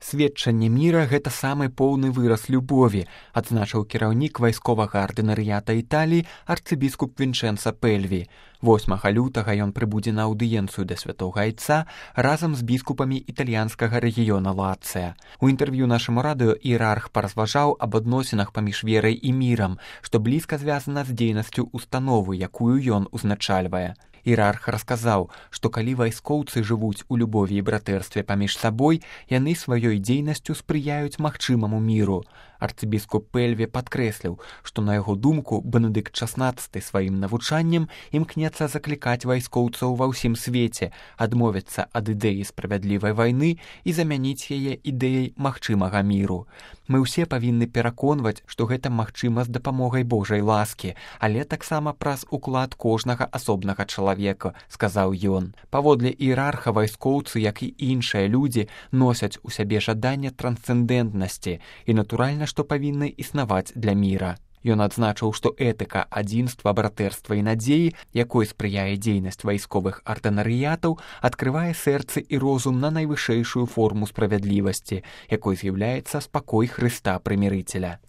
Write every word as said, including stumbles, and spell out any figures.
Сведчанне міра – гэта самы поўны выраз любові, адзначыў кіраўнік вайсковага ардынарыята Італіі арцыбіскуп Вінчэнца Пэльві. восьмага лютага ён прыбудзе на аўдыенцыю да святога айца разам з біскупамі італьянскага рэгіёна Лацыя. У інтэрв'ю нашаму радыё іерарх паразважаў аб адносінах паміж верай і мірам, што блізка звязана з дзейнасцю установы, якую ён узначальвае. Іерарх расказаў, што калі вайскоўцы жывуць у любові і братэрстве паміж сабой, яны сваёй дзейнасцю спрыяюць магчымаму міру. Арцыбіскуп Пэльві падкрэсліў, што на яго думку Бенедыкт шаснаццаты сваім навучаннем імкнецца заклікаць вайскоўцаў ва ўсім свеце адмовіцца ад ідэі справядлівай вайны і замяніць яе ідэяй магчымага міру. Мы ўсе павінны пераконваць, што гэта магчыма з дапамогай Божай ласкі, але таксама праз уклад кожнага асобнага чалавека, сказаў ён. Паводле іерарха вайскоўцы, як і іншыя людзі, носяць у сябе жаданне трансцэндэнтнасці і, натуральна, што павінны існаваць для міра. Ён адзначыў, што этыка адзінства, братэрства і надзеі, якой спрыяе дзейнасць вайсковых ардынарыятаў, адкрывае сэрцы і розум на найвышэйшую форму справядлівасці, якой з'яўляецца спакой Хрыста Прымірыцеля.